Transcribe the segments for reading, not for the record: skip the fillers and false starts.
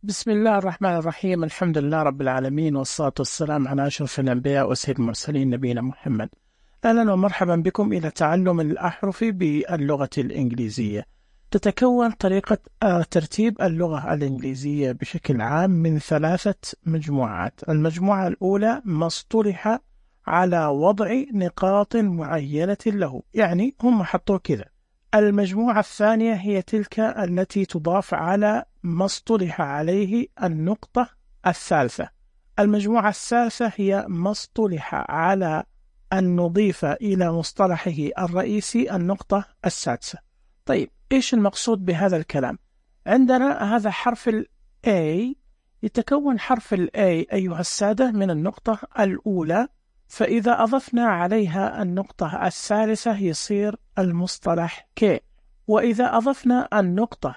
بسم الله الرحمن الرحيم. الحمد لله رب العالمين، والصلاة والسلام على أشرف الأنبياء وسيد المرسلين نبينا محمد. أهلا ومرحبا بكم إلى تعلم الأحرف باللغة الإنجليزية. تتكون طريقة ترتيب اللغة الإنجليزية بشكل عام من 3 مجموعات. المجموعة الأولى ما اصطلح على وضع نقاط معينة له، يعني هم حطوا كذا. المجموعة الثانية هي تلك التي تضاف على ما اصطلح عليه النقطة الثالثة. المجموعة الثالثة هي ما اصطلح على أن نضيف إلى مصطلحه الرئيسي النقطة السادسة. طيب، إيش المقصود بهذا الكلام؟ عندنا هذا حرف ال A. يتكون حرف ال A أيها السادة من النقطة الأولى، فإذا أضفنا عليها النقطة الثالثة يصير المصطلح K، وإذا أضفنا النقطة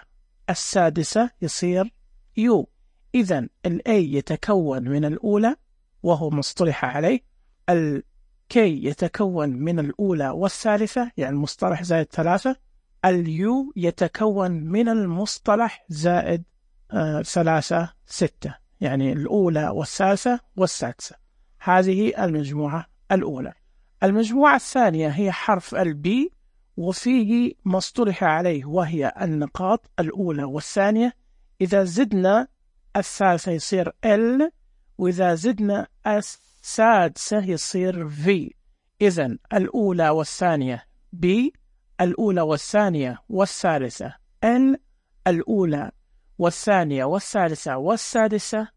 السادسة يصير U. إذن ال A يتكون من الأولى وهو مصطلح عليه، ال K يتكون من الأولى والثالثة يعني المصطلح زائد 3، ال U يتكون من المصطلح زائد 3 6 يعني الأولى والثالثة والسادسة. هذه المجموعة الأولى. المجموعة الثانية هي حرف ال B، وفيه ما اصطلح عليه وهي النقاط الأولى والثانية. إذا زدنا الثالثة يصير L، وإذا زدنا السادسة يصير V. إذن الأولى والثانية B، الأولى والثانية والثالثة L، الأولى والثانية والثالثة والسادسة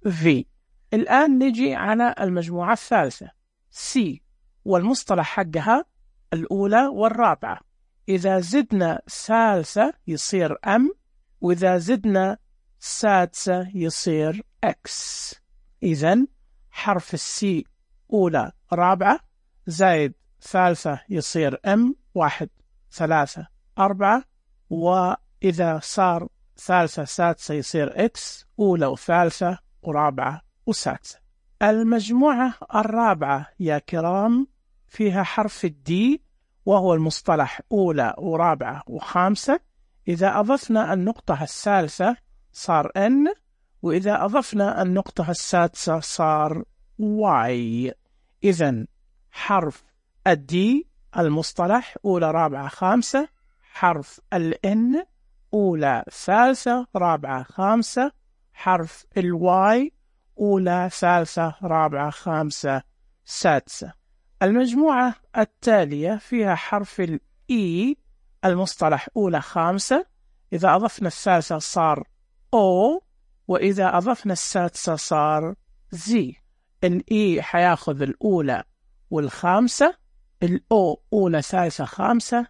V. الآن نجي على المجموعة الثالثة C، والمصطلح حقها الأولى والرابعة. إذا زدنا ثالثة يصير M، وإذا زدنا سادسة يصير X. إذن حرف السي أولى رابعة زائد ثالثة يصير M 1 3 4، وإذا صار ثالثة سادسة يصير X أولى وثالثة ورابعة وسادسة. المجموعة الرابعة يا كرام فيها حرف الدي، وهو المصطلح أولى ورابعة وخامسة. إذا أضفنا النقطة الثالثة صار N، وإذا أضفنا النقطة السادسة صار Y. إذن حرف الدي المصطلح أولى رابعة خامسة، حرف الN أولى ثالثة رابعة خامسة، حرف الواي أولى ثالثة رابعة خامسة سادسة. المجموعة التالية فيها حرف الإي المصطلح أولى خامسة، إذا أضفنا الثالثة صار O، وإذا أضفنا السادسة صار Z. الإي حياخذ الأولى والخامسة، الأو أولى ثالثة خامسة،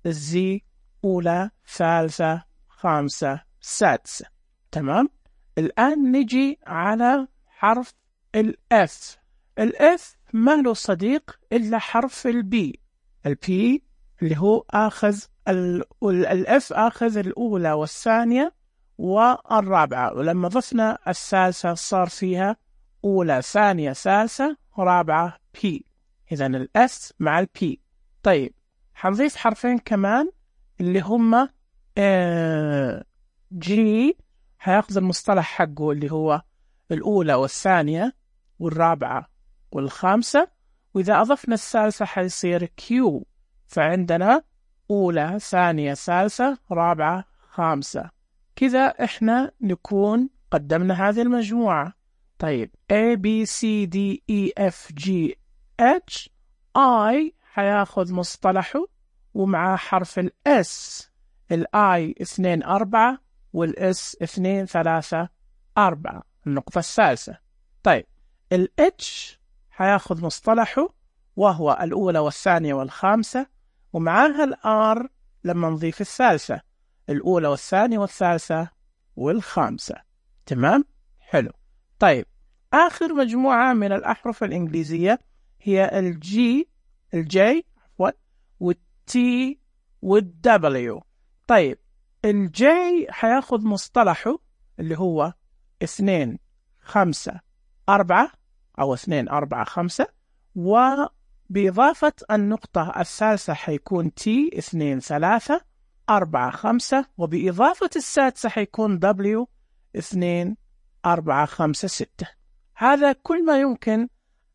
الزي أولى ثالثة خامسة سادسة. تمام؟ الآن نجي على حرف الإف. الإف ما له صديق إلا حرف البي. البي اللي هو آخذ الإف آخذ الأولى والثانية والرابعة، ولما ضفنا الثالثة صار فيها أولى ثانية ثالثة رابعة بي. إذن الإس مع البي. طيب، حنضيف حرفين كمان اللي هما جي، هياخذ المصطلح حقه اللي هو الأولى والثانية والرابعة والخامسة، وإذا أضفنا الثالثة حيصير كيو، فعندنا أولى ثانية ثالثة رابعة خامسة. كذا إحنا نكون قدمنا هذه المجموعة. طيب A B C D E F G H I حياخذ مصطلحه ومع حرف الS، الI 2 4 والS 2 3 4 النقطة الثالثة. طيب الH حياخذ مصطلحه وهو الأولى والثانية والخامسة، ومعها الR لما نضيف الثالثة الأولى والثانية والثالثة والخامسة. تمام؟ حلو. طيب آخر مجموعة من الأحرف الإنجليزية هي الجي والتي والدبليو. طيب الجي حياخذ مصطلحه اللي هو 2 5 4 أو 2 4 5، وبإضافة النقطة الثالثة حيكون تي 2 3 4 5، وبإضافة السادسة حيكون دبليو 2 4 5 6. هذا كل ما يمكن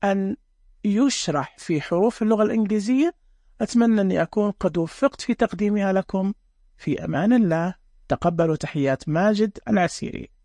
أن يشرح في حروف اللغة الإنجليزية. أتمنى أني أكون قد وفقت في تقديمها لكم. في أمان الله. تقبلوا تحيات ماجد العسيري.